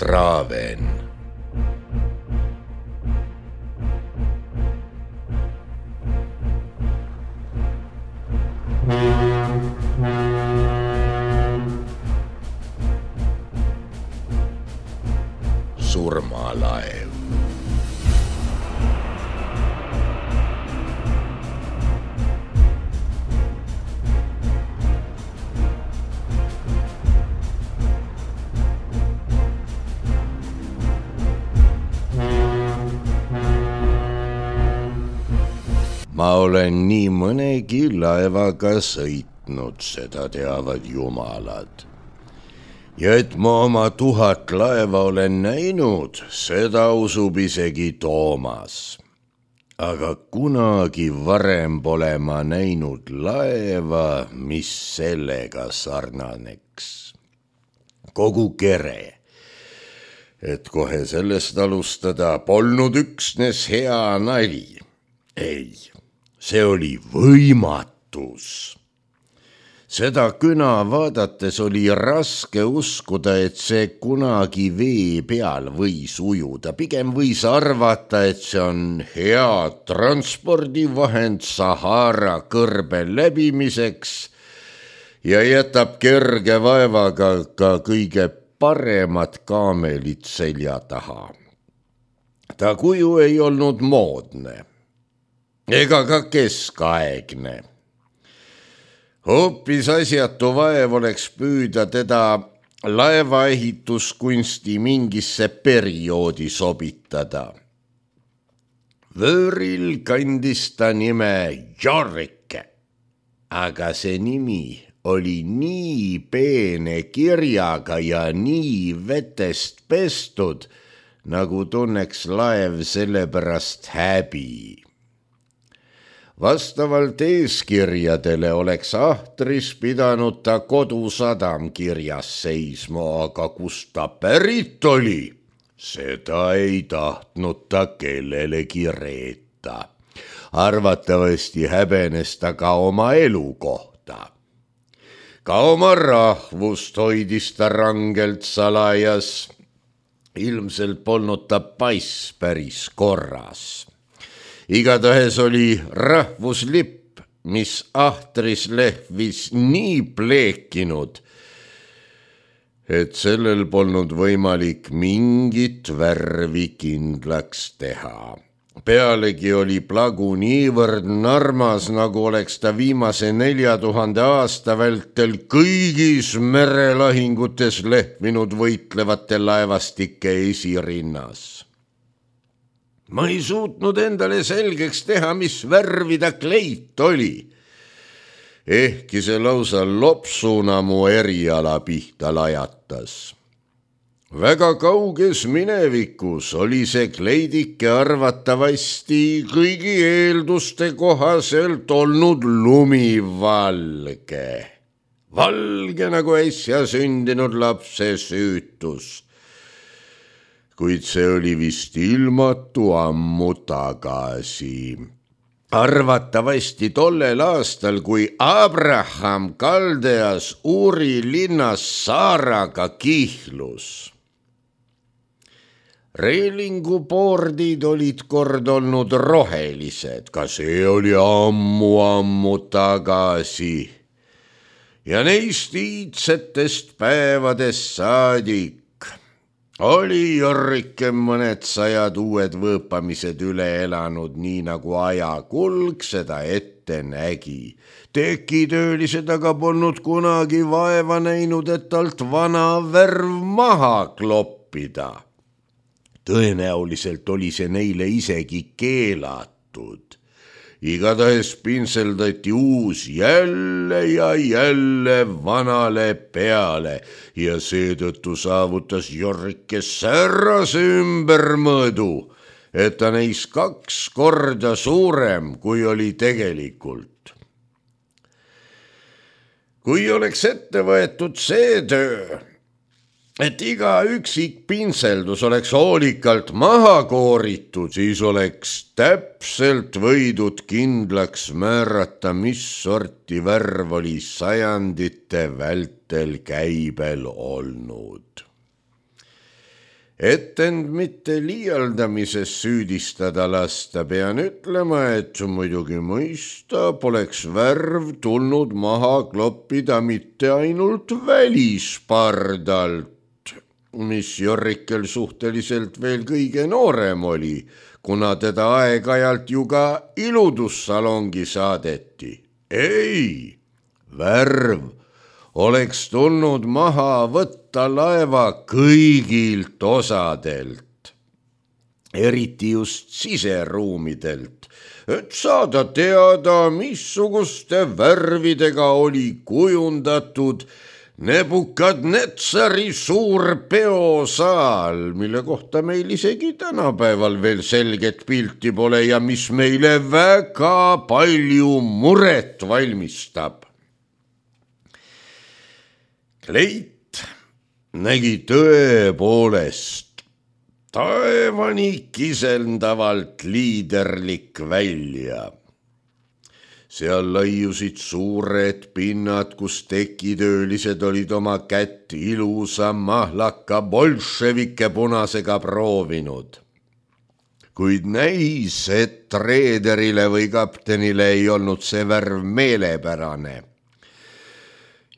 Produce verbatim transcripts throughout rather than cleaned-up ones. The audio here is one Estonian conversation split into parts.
Raven. Surmalaev. Ma olen nii mõnegi laevaga sõitnud, seda teavad jumalad. Ja et ma oma tuhat laeva olen näinud, seda usub isegi Toomas. Aga kunagi varem pole ma näinud laeva, mis sellega sarnaneks. Kogu kere. Et kohe sellest alustada, polnud üksnes hea nali. Ei. See oli võimatus. Seda küna vaadates oli raske uskuda, et see kunagi vee peal võis ujuda. Pigem võis arvata, et see on hea transpordivahend Sahara kõrbe läbimiseks ja jätab kerge vaevaga ka kõige paremad kaamelid selja taha. Ta kuju ei olnud moodne. Ega ka keskaegne. Hoopis asjatu vaev oleks püüda teda laevaehituskunsti mingisse perioodi sobitada. Vööril kandis ta nime Jorike, aga see nimi oli nii peene kirjaga ja nii vetest pestud, nagu tunneks laev selle pärast häbi. Vastavalt eeskirjadele oleks ahtris pidanud ta kodusadam kirjas seisma, aga kus ta pärit oli, seda ei tahtnud ta kellelegi reeta. Arvatavasti häbenes ta ka oma elukohta. Ka oma rahvust hoidis ta rangelt salajas. Ilmselt polnud ta pass päris korras. Igatahes oli rahvuslipp, mis ahtris lehvis nii pleekinud, et sellel polnud võimalik mingit värvi kindlaks teha. Pealegi oli plagu niivõrd narmas, nagu oleks ta viimase nelja tuhande aasta vältel kõigis merelahingutes lehvinud võitlevate laevastike esirinnas. Ma ei suutnud endale selgeks teha, mis värvi ta kleit oli. Ehkki see lausa lopsuna mu eriala pihta lajatas. Väga kauges minevikus oli see kleidike arvatavasti kõigi eelduste kohaselt olnud lumivalge. Valge nagu äsja sündinud lapse süütus. Kuid see oli vist ilmatu ammu tagasi. Arvatavasti tollel aastal, kui Abraham Kaldeas Uri linnas Saaraga kihlus. Reelingupoordid olid kord olnud rohelised, ka see oli ammu-ammu tagasi. Ja neist iidsetest päevadest saadik oli Jorike mõned sajad uued võõpamised üle elanud, nii nagu ajakulg seda ette nägi. Tekitöölised aga polnud kunagi vaeva näinud, et talt vana värv maha kloppida. Tõenäoliselt oli see neile isegi keelatud. Igatahes pinseldati uus jälle ja jälle vanale peale ja seetõttu saavutas Jorike säärase ümbermõõdu, et ta neis kaks korda suurem, kui oli tegelikult. Kui oleks ette võetud see töö, et iga üksik pinseldus oleks hoolikalt maha kooritud, siis oleks täpselt võidud kindlaks määrata, mis sorti värv oli sajandite vältel käibel olnud. Et end mitte liialdamises süüdistada lasta, pean ütlema, et muidugi mõista poleks värv tulnud maha kloppida mitte ainult välispardalt, mis Jorrikel suhteliselt veel kõige noorem oli, kuna teda aeg-ajalt ju ka iludussalongi saadeti. Ei, värv oleks tulnud maha võtta laeva kõigilt osadelt, eriti just siseruumidelt, et saada teada, missuguste värvidega oli kujundatud Nebukadnetsari suur peosaal, mille kohta meil isegi tänapäeval veel selget pilti pole ja mis meile väga palju muret valmistab. Kleit nägi tõepoolest taevani kisendavalt liiderlik välja. Seal laiusid suured pinnad, kus tekitöölised olid oma kätt ilusa mahlaka bolševike punasega proovinud. Kuid näis, et reederile või kaptenile ei olnud see värv meelepärane.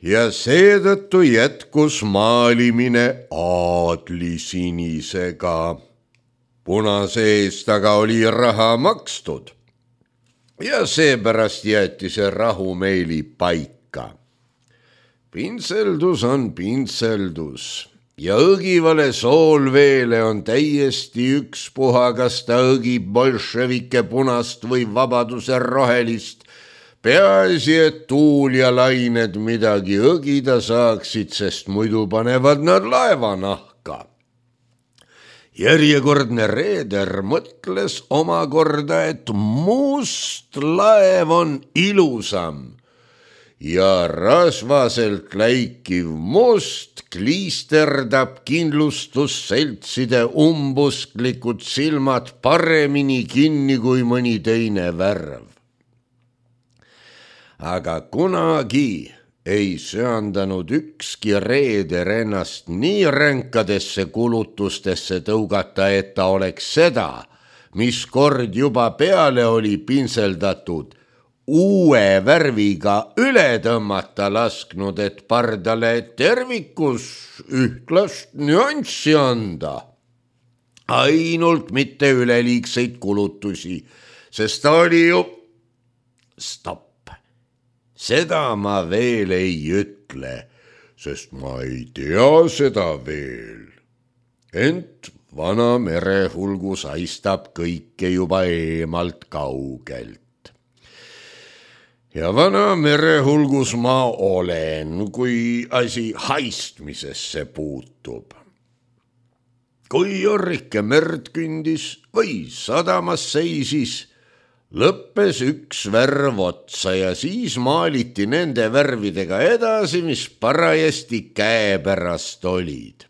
Ja seetõttu jätkus maalimine aadlisinisega. Punase eest aga oli raha makstud. Ja seepärast jäeti see rahumeeli paika. Pintseldus on pintseldus ja õgivale soolveele on täiesti ükspuha, kas ta õgib bolševike punast või vabaduse rohelist. Peaasi, et tuul ja lained midagi õgida saaksid, sest muidu panevad nad laeva nahka. Järjekordne reeder mõtles omakorda, et must laev on ilusam ja rasvaselt läikiv must kliisterdab kindlustusseltside umbusklikud silmad paremini kinni kui mõni teine värv. Aga kunagi ei söandanud ükski reeder ennast nii ränkadesse kulutustesse tõugata, et ta oleks seda, mis kord juba peale oli pintseldatud, uue värviga üle tõmmata lasknud, et pardale tervikus ühtlast nüanssi anda. Ainult mitte üleliigseid kulutusi, sest ta oli ju stopp. Seda ma veel ei ütle, sest ma ei tea seda veel. Ent vana merehulgus haistab kõike juba eemalt kaugelt. Ja vana merehulgus ma olen, kui asi haistmisesse puutub. Kui Jorrike merd kündis või sadamas seisis, lõppes üks värv otsa ja siis maaliti nende värvidega edasi, mis parajasti käepärast olid.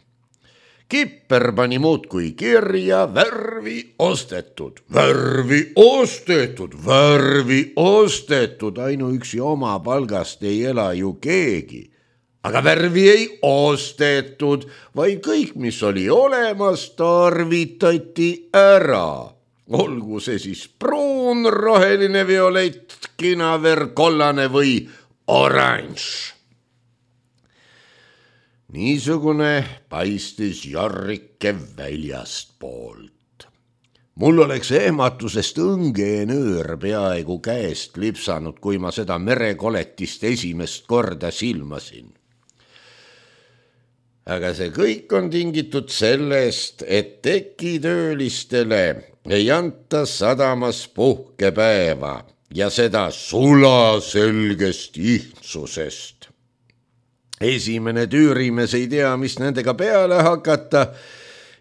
Kipper pani muudkui kirja värvi ostetud, värvi ostetud, värvi ostetud, ainuüksi oma palgast ei ela ju keegi. Aga värvi ei ostetud, vaid kõik, mis oli olemas, tarvitati ära. Olgu see siis pruun, roheline, violett, kinaver, kollane või oranž. Niisugune paistis Jorrike väljast poolt. Mul oleks ehmatusest õngeenöör peaaegu käest lipsanud, kui ma seda merekoletist esimest korda silmasin. Aga see kõik on tingitud sellest, et tekitöölistele ei anta sadamas puhkepäeva ja seda sulaselgest ihtsusest. Esimene tüürimees ei tea, mis nendega peale hakata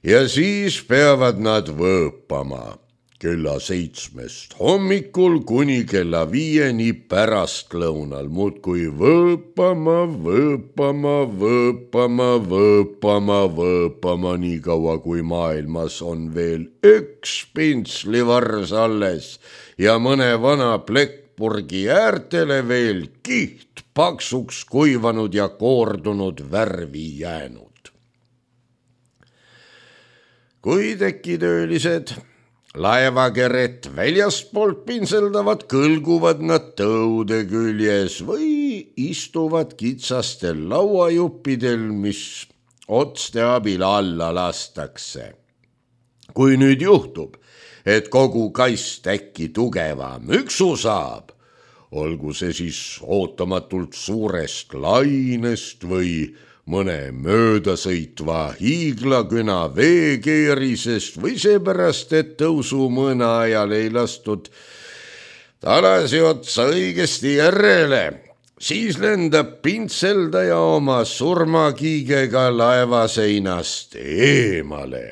ja siis peavad nad võõpama kella seitsmest hommikul kuni kella viieni pärastlõunal, muudkui võõpama, võõpama, võõpama, võõpama, võõpama, nii kaua kui maailmas on veel üks pintslivars alles ja mõne vana plekkpurgi äärtele veel kiht paksuks kuivanud ja koordunud värvi jäänud. kui tekitöölised laevakeret väljastpoolt pinseldavad, kõlguvad nad tõude küljes või istuvad kitsastel lauajuppidel, mis otste abil alla lastakse. kui nüüd juhtub, et kogu kast äkki tugeva müksu saab, olgu see siis ootamatult suurest lainest või mõne möödasõitva hiiglaküna veekeerisest või seepärast, et tõusumõõna ajal ei lastud talasi otsa õigesti järele, siis lendab pintseldaja oma surmakiigega laevaseinast eemale.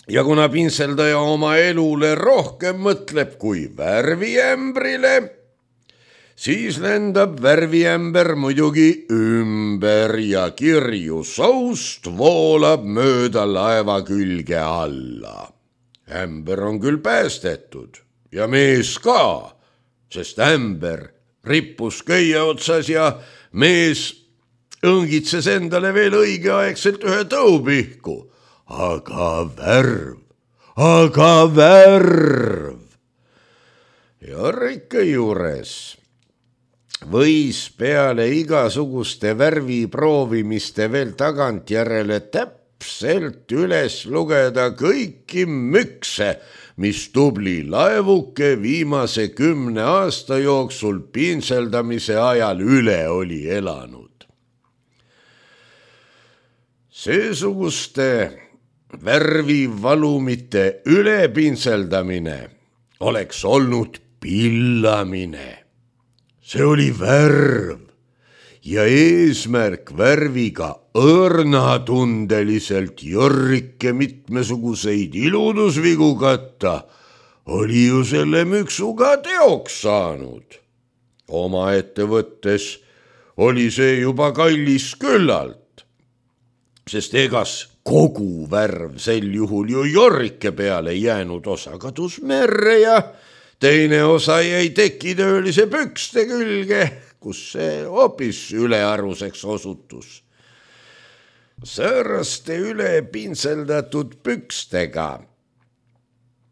ja kuna pintseldaja oma elule rohkem mõtleb kui värviämbrile, siis lendab värviämber muidugi ümber ja kirju soust voolab mööda laeva külge alla. Ämber on küll päästetud ja mees ka, sest ämber rippus köie otsas ja mees õngitses endale veel õigeaegselt ühe tõupihku. aga värv, aga värv. Jorrike juures võis peale igasuguste värvi proovimiste veel tagantjärele täpselt üles lugeda kõiki mükse, mis tubli laevuke viimase kümne aasta jooksul pintseldamise ajal üle oli elanud. Seesuguste värvivalumite ülepintseldamine oleks olnud pillamine. See oli värv ja eesmärk värviga õrnatundeliselt Jorrike mitmesuguseid iludusvigu katta oli ju selle müksuga teoks saanud. Omaette võttes oli see juba kallis küllalt, sest egas kogu värv sel juhul ju Jorrike peale jäänud, osa kadus merre ja teine osa jäi tekitöölise pükste külge, kus see hoopis ülearuseks osutus. Sääraste üle pintseldatud pükstega,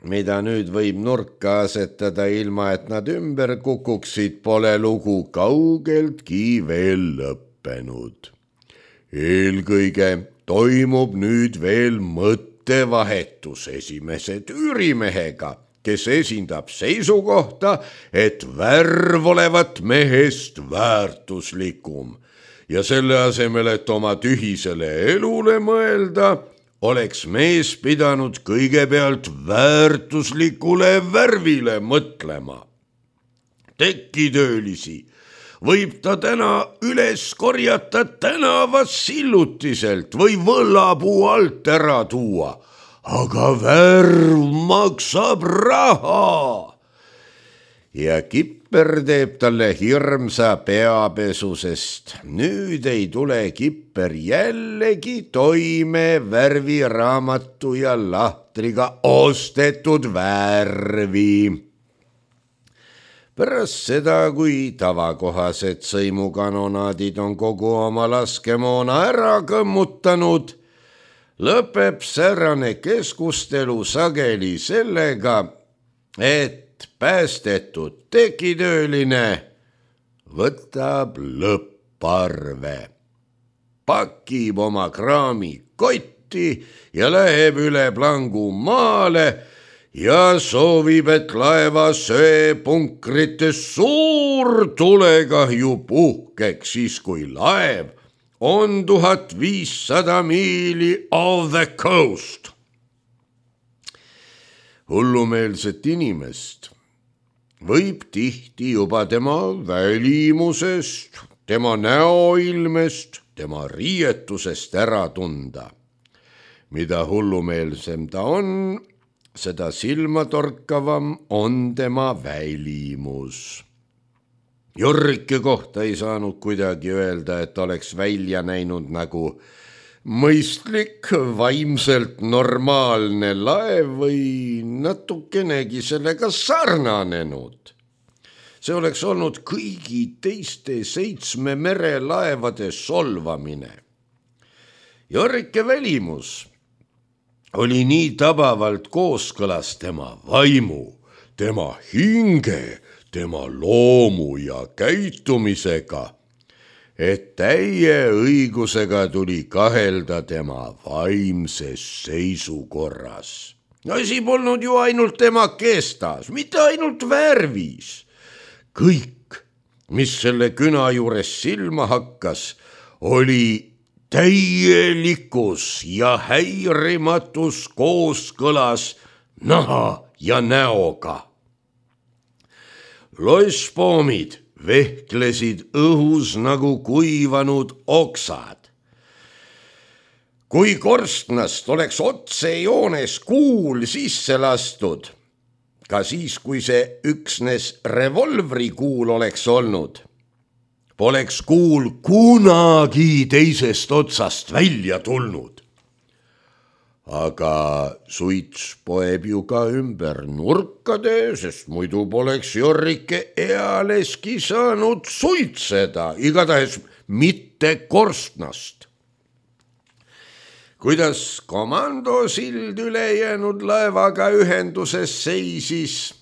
mida nüüd võib nurka asetada ilma, et nad ümber kukuksid, pole lugu kaugeltki veel lõppenud. Eelkõige toimub nüüd veel mõttevahetus esimese tüürimehega, kes esindab seisukohta, et värv olevat mehest väärtuslikum ja selle asemel, et oma tühisele elule mõelda, oleks mees pidanud kõigepealt väärtuslikule värvile mõtlema. Tekitöölisi võib ta täna üles korjata tänavas sillutiselt või võllapuu alt ära tuua, aga värv maksab raha. Ja Kipper teeb talle hirmsa peapesu, sest nüüd ei tule Kipper jällegi toime värviraamatu ja lahtriga ostetud värvi. Pärast seda, kui tavakohased sõimukanonaadid on kogu oma laskemoona ära kõmmutanud, lõpeb säärane keskustelu sageli sellega, et päästetud tekitööline võtab lõpparve, pakib oma kraami kotti ja läheb üle plangu maale ja soovib, et laeva söepunkrites suur tulekahju puhkeks, siis kui laev on tuhat viissada miili off the coast. Hullumeelset inimest võib tihti juba tema välimusest, tema näoilmest, tema riietusest ära tunda. Mida hullumeelsem ta on, seda silmatorkavam on tema välimus. Jorrike kohta ei saanud kuidagi öelda, et oleks välja näinud nagu mõistlik, vaimselt normaalne laev või natukenegi sellega sarnanenud. See oleks olnud kõigi teiste seitsme merelaevade solvamine. Jorrike välimus oli nii tabavalt kooskõlas tema vaimu, tema hinge, tema loomu ja käitumisega, et täie õigusega tuli kahelda tema vaimses seisukorras. Asi polnud ju ainult tema kestas, mitte ainult värvis. Kõik, mis selle küna juures silma hakkas, oli täielikus ja häirimatus kooskõlas naha ja näoga. Loisspoomid vehklesid õhus nagu kuivanud oksad. Kui korstnast oleks otsejoones kuul sisse lastud, ka siis, kui see üksnes revolvri kuul oleks olnud, poleks kuul kunagi teisest otsast välja tulnud. Aga suits poeb ju ka ümber nurkade, sest muidu poleks Jorrike ealeski saanud suitseda, igatahes mitte korstnast. Kuidas komandosild ülejäänud laevaga ühenduses seisis,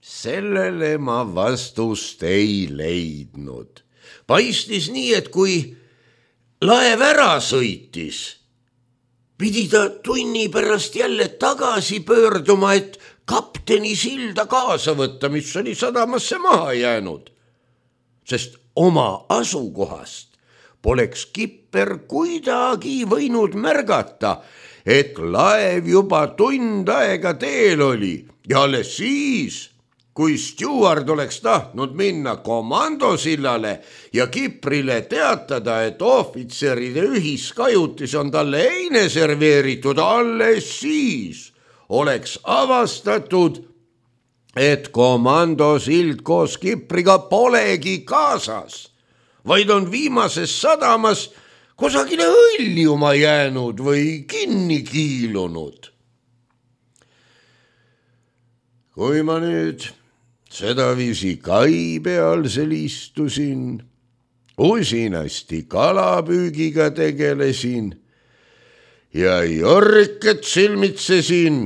sellele ma vastust ei leidnud. Paistis nii, et kui laev ära sõitis, pidi ta tunni pärast jälle tagasi pöörduma, et kapteni silda kaasa võtta, mis oli sadamasse maha jäänud, sest oma asukohast poleks kipper kuidagi võinud märgata, et laev juba tund aega teel oli ja alles siis, kui stjuard oleks tahtnud minna komandosillale ja kiprile teatada, et ohvitseride ühiskajutis on talle eine serveeritud, alles siis oleks avastatud, et komandosild koos kipriga polegi kaasas, vaid on viimases sadamas kusagile hõljuma jäänud või kinni kiilunud. Kui ma nüüd sedaviisi kai peal seal istusin, usinasti kalapüügiga tegelesin ja Jorriket silmitsesin,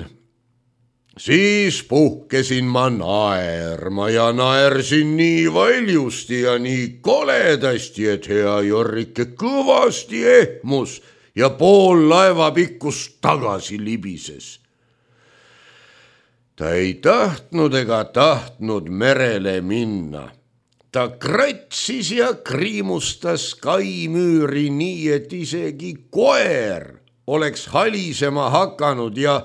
siis puhkesin ma naerma ja naersin nii valjusti ja nii koledasti, et hea Jorrike kõvasti ehmus ja pool laeva pikkust tagasi libises. Ta ei tahtnud ega tahtnud merele minna. Ta kratsis ja kriimustas kaimüüri nii, et isegi koer oleks halisema hakanud ja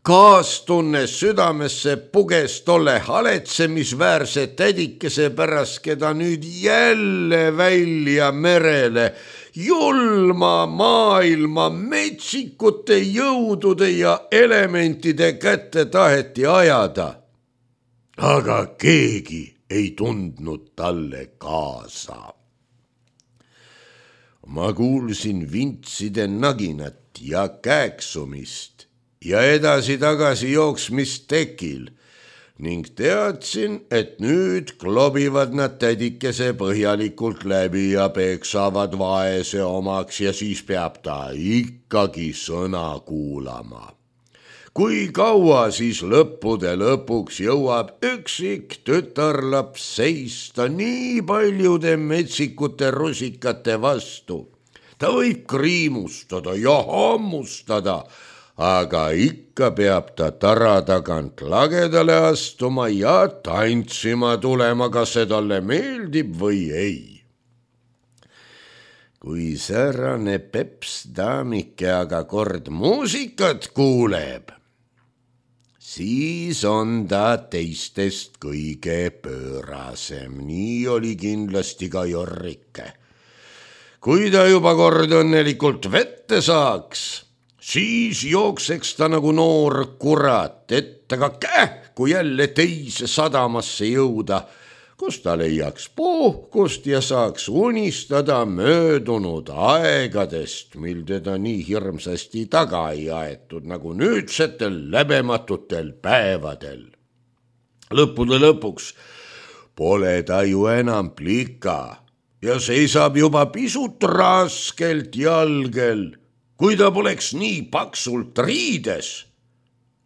kaastunne südamesse puges tolle haletsemisväärse tädikese pärast, keda nüüd jälle välja merele julma maailma metsikute jõudude ja elementide kätte taheti ajada. Aga keegi ei tundnud talle kaasa. Ma kuulsin vintside naginat ja kääksumist ja edasi-tagasi jooksmist tekil ning teadsin, et nüüd klobivad nad tädikese põhjalikult läbi ja peksavad vaese omaks ja siis peab ta ikkagi sõna kuulama. Kui kaua siis lõppude lõpuks jõuab üksik tütarlaps seista nii paljude metsikute rusikate vastu? Ta võib kriimustada ja hammustada, aga ikka peab ta tara tagant lagedale astuma ja tantsima tulema, kas see talle meeldib või ei. Kui säärane peps daamike aga kord muusikat kuuleb, siis on ta teistest kõige pöörasem, nii oli kindlasti ka Jorrike. Kui ta juba kord õnnelikult vette saaks, siis jookseks ta nagu noor kurat, et aga kähku jälle teise sadamasse jõuda, kus ta leiaks puhkust ja saaks unistada möödunud aegadest, mil teda nii hirmsasti taga ei aetud, nagu nüüdsetel läbematutel päevadel. Lõppude lõpuks pole ta ju enam plika ja seisab juba pisut raskelt jalgel, kui ta poleks nii paksult riides,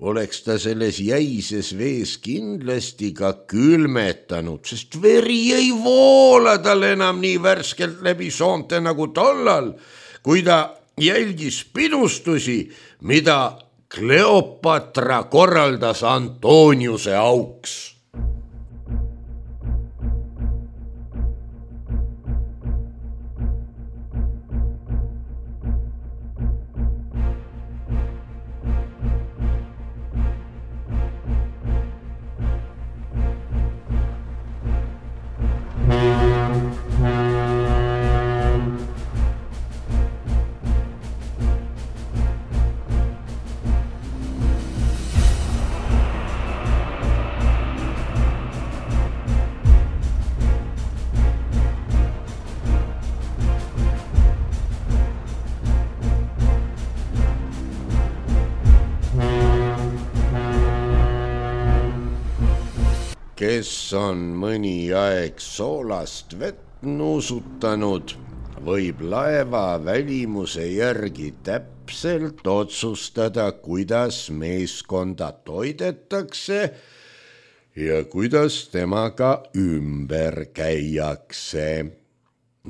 oleks ta selles jäises vees kindlasti ka külmetanud, sest veri ei voola tal enam nii värskelt läbi soonte nagu tollal, kui ta jälgis pidustusi, mida Kleopatra korraldas Antoniuse auks. Kes on mõni aeg soolast vett nuusutanud, võib laeva välimuse järgi täpselt otsustada, kuidas meeskonda toidetakse ja kuidas temaga ümber käiakse.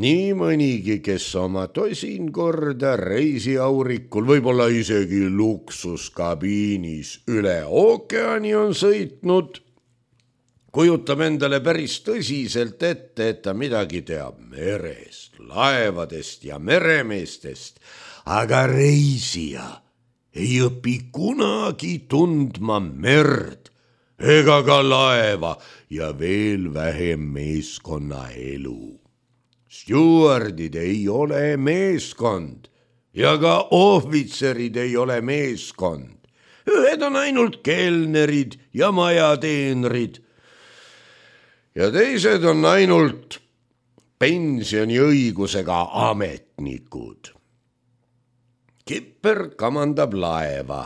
Nii mõnigi, kes oma tosin korda reisiaurikul, võib-olla isegi luksuskabiinis üle ookeani on sõitnud, kujutab endale päris tõsiselt ette, et ta midagi teab merest, laevadest ja meremeestest, aga reisija ei õpi kunagi tundma merd ega ka laeva ja veel vähem meeskonnaelu. Stjuardid ei ole meeskond ja ka ohvitserid ei ole meeskond. Ühed on ainult kelnerid ja majateenrid, ja teised on ainult pensioniõigusega ametnikud. Kipper kamandab laeva,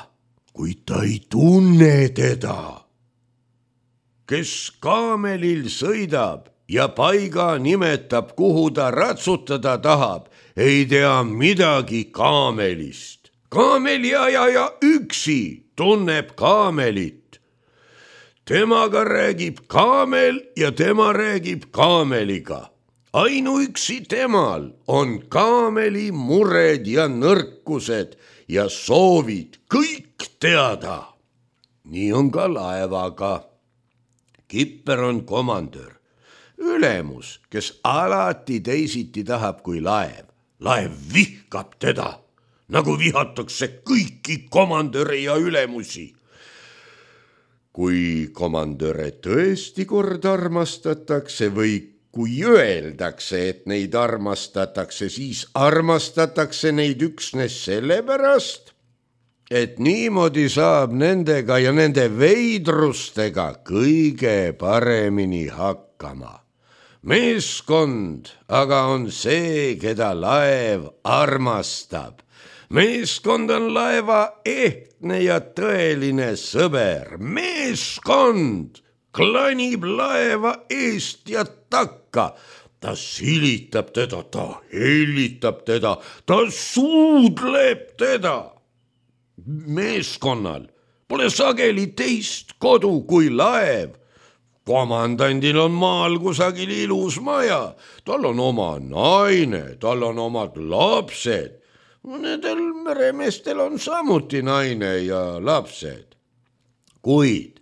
kuid ta ei tunne teda. Kes kaamelil sõidab ja paiga nimetab, kuhu ta ratsutada tahab, ei tea midagi kaamelist. Kaameliajaja üksi tunneb kaamelit. Temaga räägib kaamel ja tema räägib kaameliga. Ainuüksi temal on kaameli mured ja nõrkused ja soovid kõik teada. Nii on ka laevaga. Kipper on komandör, ülemus, kes alati teisiti tahab kui laev. Laev vihkab teda, nagu vihatakse kõiki komandöre ja ülemusi. Kui komandöre tõesti kord armastatakse või kui öeldakse, et neid armastatakse, siis armastatakse neid üksnes sellepärast, et niimoodi saab nendega ja nende veidrustega kõige paremini hakkama. Meeskond aga on see, keda laev armastab. Meeskond on laeva ehtne ja tõeline sõber. Meeskond klanib laeva eest ja takka. Ta silitab teda, ta hellitab teda, ta suudleb teda. Meeskonnal pole sageli teist kodu kui laev. Komandandil on maal kusagil ilus maja. Tal on oma naine, tal on omad lapsed. Nendel meremeestel on samuti naine ja lapsed. Kuid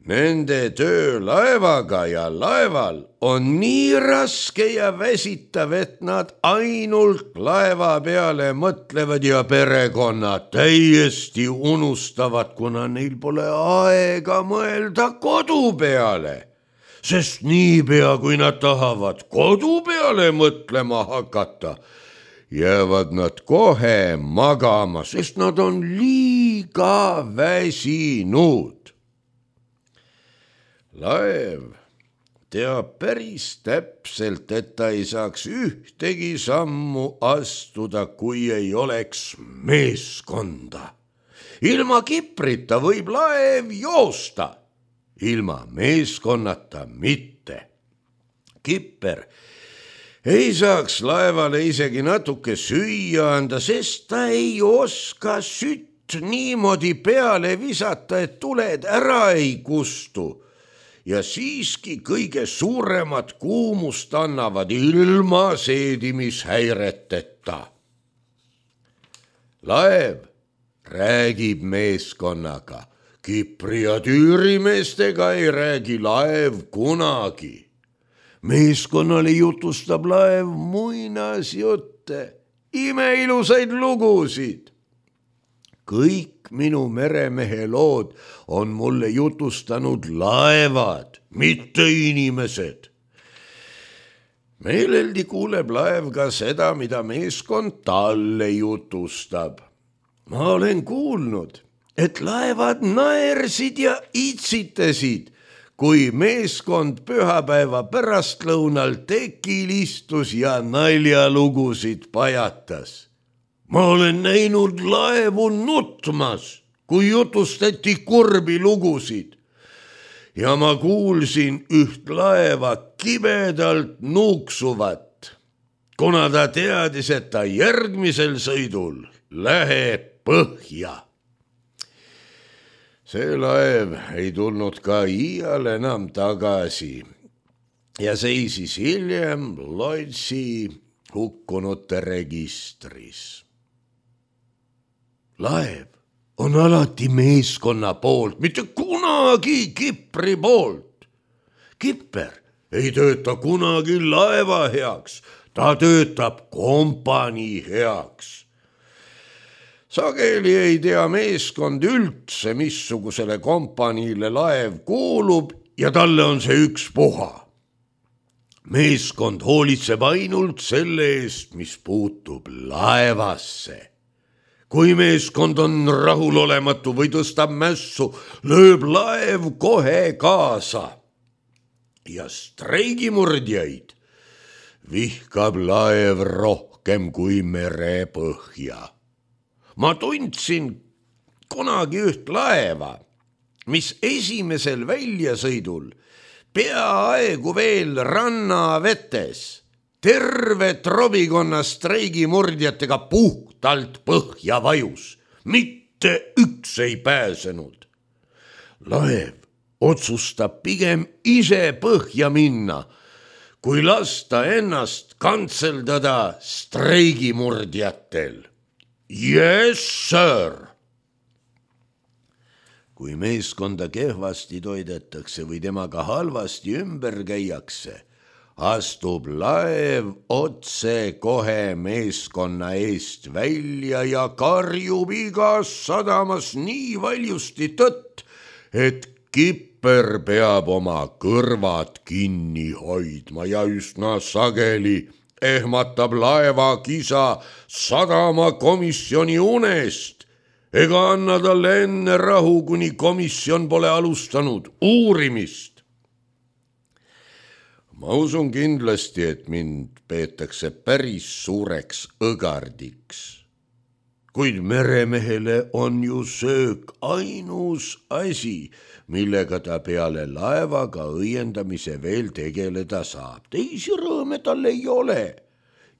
nende töö laevaga ja laeval on nii raske ja väsitav, et nad ainult laeva peale mõtlevad ja perekonna täiesti unustavad, kuna neil pole aega mõelda kodu peale. Sest niipea, kui nad tahavad kodu peale mõtlema hakata, jäävad nad kohe magama, sest nad on liiga väsinud. Laev teab päris täpselt, et ta ei saaks ühtegi sammu astuda, kui ei oleks meeskonda. Ilma kiprita võib laev joosta, ilma meeskonnata mitte. Kipper ei saaks laevale isegi natuke süüa anda, sest ta ei oska sütt niimoodi peale visata, et tuled ära ei kustu. Ja siiski kõige suuremat kuumust annavad ilma seedimishäireteta. Laev räägib meeskonnaga, Kipri ja tüürimeestega ei räägi laev kunagi. Meeskonnale jutustab laev muinasjutte, imeilusaid lugusid. Kõik minu meremehe lood on mulle jutustanud laevad, mitte inimesed. Meeleldi kuuleb laev ka seda, mida meeskond talle jutustab. Ma olen kuulnud, et laevad naersid ja itsitasid, kui meeskond pühapäeva pärastlõunal tekil istus ja naljalugusid pajatas. Ma olen näinud laevu nutmas, kui jutustati kurbi lugusid. Ja ma kuulsin üht laeva kibedalt nuuksuvat, kuna ta teadis, et ta järgmisel sõidul läheb põhja. See laev ei tulnud ka iial enam tagasi ja seisis hiljem Lloydsi hukkunute registris. Laev on alati meeskonna poolt, mitte kunagi Kipri poolt. Kipper ei tööta kunagi laeva heaks, ta töötab kompanii heaks. Sageli ei tea meeskond üldse, missugusele kompaniile laev kuulub ja talle on see ükspuha. Meeskond hoolitseb ainult selle eest, mis puutub laevasse. Kui meeskond on rahulolematu või tõstab mässu, lööb laev kohe kaasa. Ja streigimurdjaid vihkab laev rohkem kui merepõhja. Ma tundsin kunagi üht laeva, mis esimesel väljasõidul peaaegu veel rannavetes terve trobikonna streigimurdjatega puhtalt põhja vajus. Mitte üks ei pääsenud. Laev otsustab pigem ise põhja minna, kui lasta ennast kantseldada streigimurdjatel. Yes, sir! Kui meeskonda kehvasti toidetakse või temaga halvasti ümber käiakse, astub laev otse kohe meeskonna eest välja ja karjub igas sadamas nii valjusti tõtt, et Kipper peab oma kõrvad kinni hoidma ja üsna sageli ehmatab laeva kisa sadamakomisjoni unest ega anna talle enne rahu, kuni komisjon pole alustanud uurimist. Ma usun kindlasti, et mind peetakse päris suureks õgardiks, kuid meremehele on ju söök ainus asi, millega ta peale laevaga õiendamise veel tegeleda saab. Teisi rõõme tal ei ole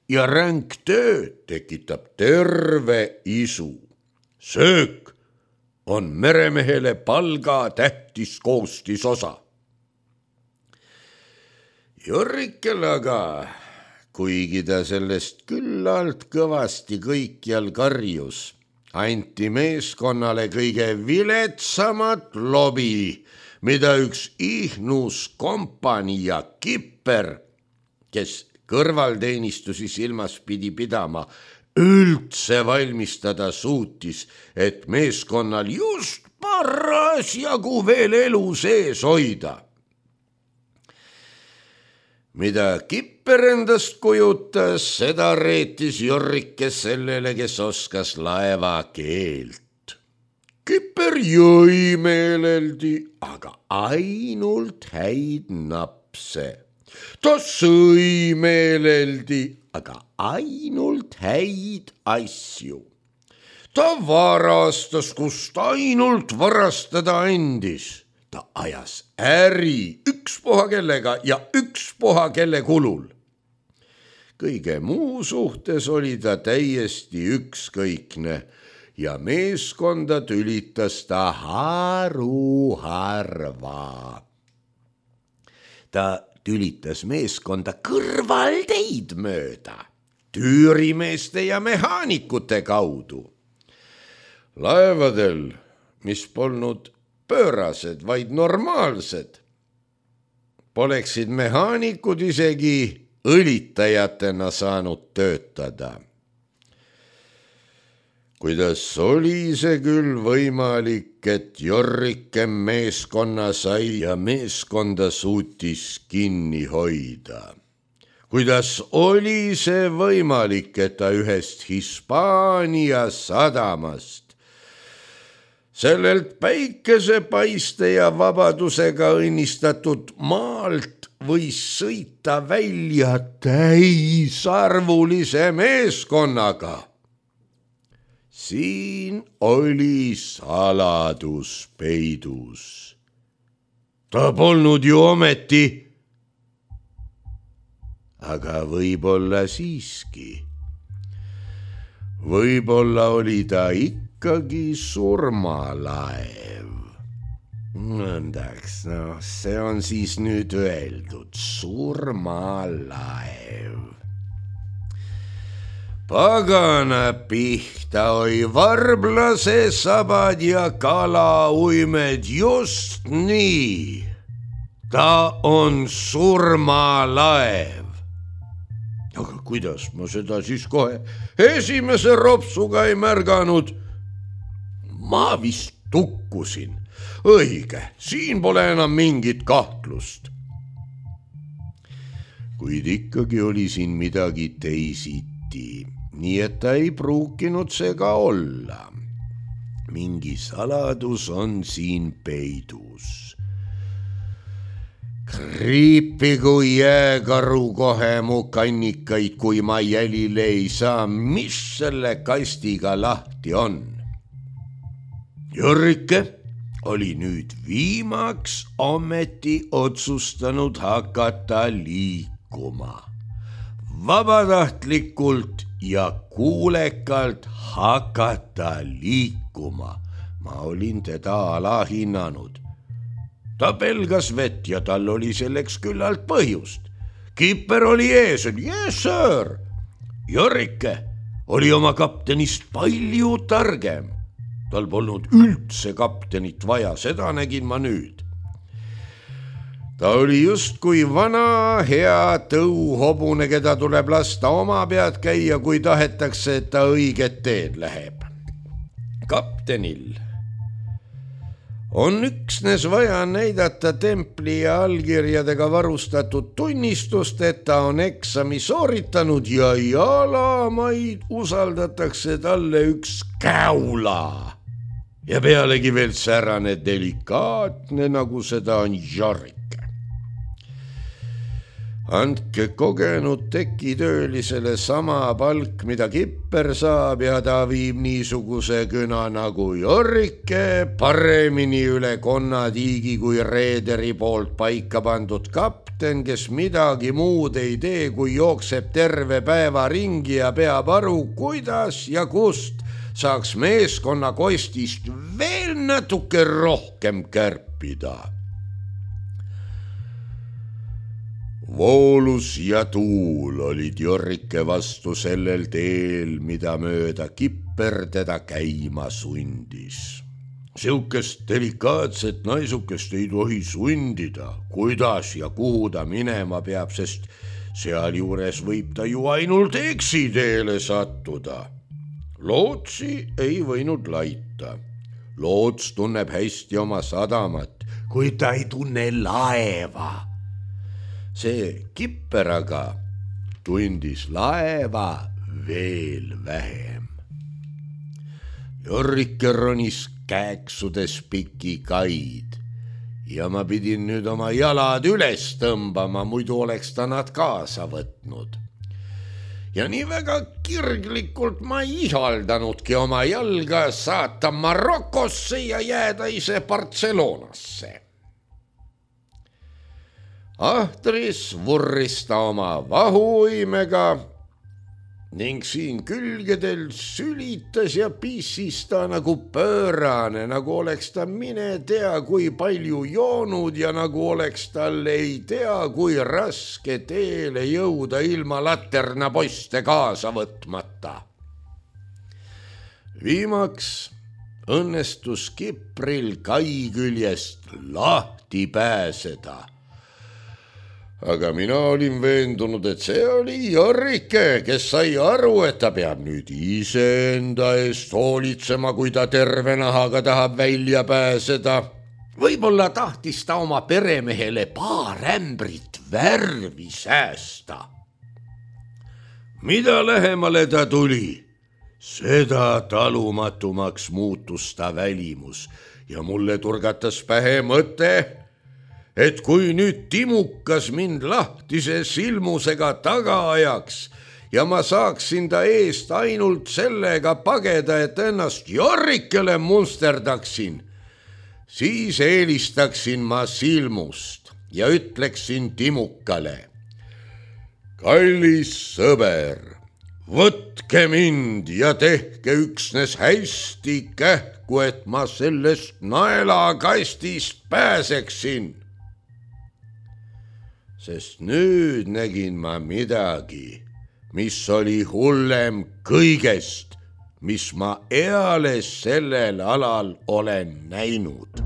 ja ränk töö tekitab terve isu. Söök on meremehele palga tähtis koostisosa. Jorrikel aga, kuigi ta sellest küllalt kõvasti kõikjal karjus, anti meeskonnale kõige viletsamat lobi, mida üks ihnus kompanii ja Kipper, kes kõrvalteenistusi silmas pidi pidama, üldse valmistada suutis, et meeskonnal just parasjagu veel elu sees hoida. Mida Kipper endast kujutas, seda reetis Jorrike sellele, kes oskas laeva keelt. Kipper jõi meeleldi, aga ainult häid napse. Ta sõi meeleldi, aga ainult häid asju. Ta varastas, kust ainult varastada andis. Ta ajas äri ükspuha kellega ja ükspuha kelle kulul. kõige muu suhtes oli ta täiesti ükskõikne ja meeskonda tülitas ta haruharva. Ta tülitas meeskonda kõrvalteid mööda, tüürimeeste ja mehaanikute kaudu. Laevadel, mis polnud pöörased, vaid normaalsed, poleksid mehaanikud isegi õlitajatena saanud töötada. Kuidas oli see küll võimalik, et Jorrike meeskonna sai ja meeskonda suutis kinni hoida? Kuidas oli see võimalik, et ta ühest Hispaania sadamast, sellelt päikesepaiste ja vabadusega õnnistatud maalt võis sõita välja täisarvulise meeskonnaga? Siin oli saladus peidus. Ta polnud ju ometi, aga võib-olla siiski. Võib-olla oli ta ikkagi surmalaev. Nõndaks, no see on siis nüüd öeldud, surmalaev. Pagana pihta oi varblase sabad ja kalauimed just nii. Ta on surmalaev. Aga kuidas ma seda siis kohe esimese ropsuga ei märganud? Ma vist tukkusin. Õige, siin pole enam mingit kahtlust. Kuid ikkagi oli siin midagi teisiti. Nii et ta ei pruukinud see ka olla. Mingi saladus on siin peidus. Kriipigu jääkaru kohe mu kannikaid, kui ma jälile ei saa, mis selle kastiga lahti on. Jorrike oli nüüd viimaks ometi otsustanud hakata liikuma. Vabatahtlikult ja kuulekalt hakata liikuma. Ma olin teda alahinnanud. Ta pelgas vett ja tal oli selleks küllalt põhjust. Kipper oli ees, yes sir. Jorrike oli oma kaptenist palju targem. Tal polnud üldse kaptenit vaja, seda nägin ma nüüd. Ta oli justkui vana hea tõuhobune, keda tuleb lasta oma pead käia, kui tahetakse, et ta õiget teed läheb. Kaptenil on üksnes vaja näidata templi ja allkirjadega varustatud tunnistust, et ta on eksami sooritanud ja jalamaid usaldatakse talle üks käula. Ja pealegi veel särane delikaatne, nagu seda on Jorrike. Andke kogenud tekitöölisele sama palk, mida Kipper saab, ja ta viib niisuguse küna nagu Jorrike paremini üle konnatiigi kui reederi poolt paika pandud kapten, kes midagi muud ei tee, kui jookseb terve päeva ringi ja peab aru, kuidas ja kust saaks meeskonna kostist veel natuke rohkem kärpida. Voolus ja tuul olid Jorrike vastu sellel teel, mida mööda Kipper teda käima sundis. Siukest delikaatset naisukest ei tohi sundida, kuidas ja kuhu ta minema peab, sest sealjuures võib ta ju ainult eksiteele sattuda. Lootsi ei võinud laita. Loots tunneb hästi oma sadamat, kuid ta ei tunne laeva. See Kipper aga tundis laeva veel vähem. Jorrike ronis kääksudes piki kaid ja ma pidin nüüd oma jalad üles tõmbama, muidu oleks ta nad kaasa võtnud. Ja nii väga kirglikult ma ei ihaldanudki oma jalga saata Marokosse ja jääda ise Barcelonasse. Ahtris vurris ta oma vahuuimega ning siin külgedel sülitas ja pissis ta nagu pöörane, nagu oleks ta mine tea kui palju joonud ja nagu oleks tal ei tea kui raske teele jõuda ilma laternapoiste kaasa võtmata. Viimaks õnnestus Kipril kai küljest lahti pääseda. Aga mina olin veendunud, et see oli Jorrike, kes sai aru, et ta peab nüüd iseenda eest hoolitsema, kui ta terve nahaga tahab välja pääseda. Võib-olla tahtis ta oma peremehele paar ämbrit värvi säästa. Mida lähemale ta tuli, seda talumatumaks muutus ta välimus ja mulle turgatas pähe mõte, et kui nüüd Timukas mind lahtise silmusega taga ajaks ja ma saaksin ta eest ainult sellega pageda, et ennast Jorrikele munsterdaksin, siis eelistaksin ma silmust ja ütleksin Timukale: kallis sõber, võtke mind ja tehke üksnes hästi kähku, et ma sellest naelakastist pääseksin. Sest nüüd nägin ma midagi, mis oli hullem kõigest, mis ma eales sellel alal olen näinud.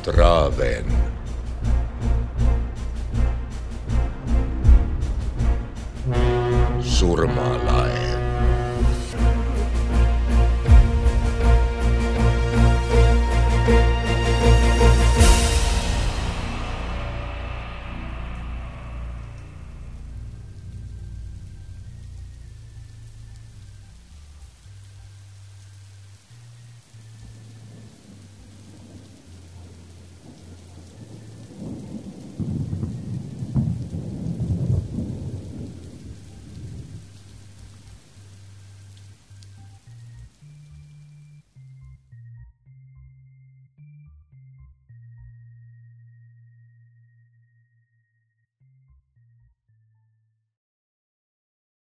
Traven. Surmala.